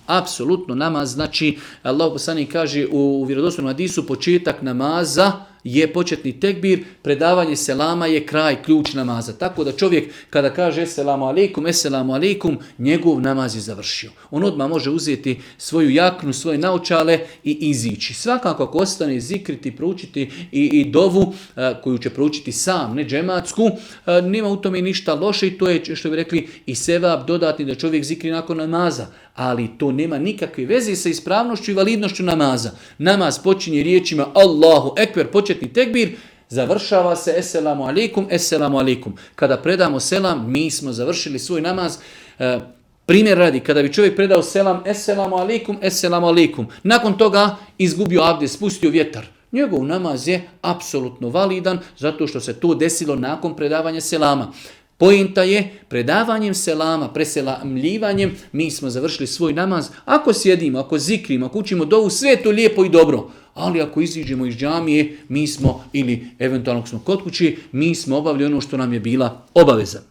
Apsolutno namaz, znači Allah poslanik kaže u vjerodostojnom hadisu, početak namaza je početni tekbir, predavanje selama je kraj, ključ namaza. Tako da čovjek kada kaže esselamu alejkum, njegov namaz je završio. On odmah može uzeti svoju jaknu, svoje naočale i izići. Svakako ako ostane zikriti, proučiti i dovu koju će proučiti sam, ne džematsku, nema u tome ništa loše i to je, što bi rekli, i sevap dodatni da čovjek zikri nakon namaza. Ali to nema nikakve veze sa ispravnošću i validnošću namaza. Namaz počinje riječima Allahu ekber, početni tekbir, završava se esselamu alejkum. Kada predamo selam, mi smo završili svoj namaz. Primjer radi, kada bi čovjek predao selam esselamu alejkum, nakon toga izgubio abdest, spustio vjetar. Njegov namaz je apsolutno validan zato što se to desilo nakon predavanja selama. Pointa je, predavanjem selama, preselamljivanjem, mi smo završili svoj namaz. Ako sjedimo, ako zikrimo, ako učimo dovu, sve je to lijepo i dobro. Ali ako iziđemo iz džamije, mi smo, ili eventualno smo kod kući, mi smo obavili ono što nam je bila obaveza.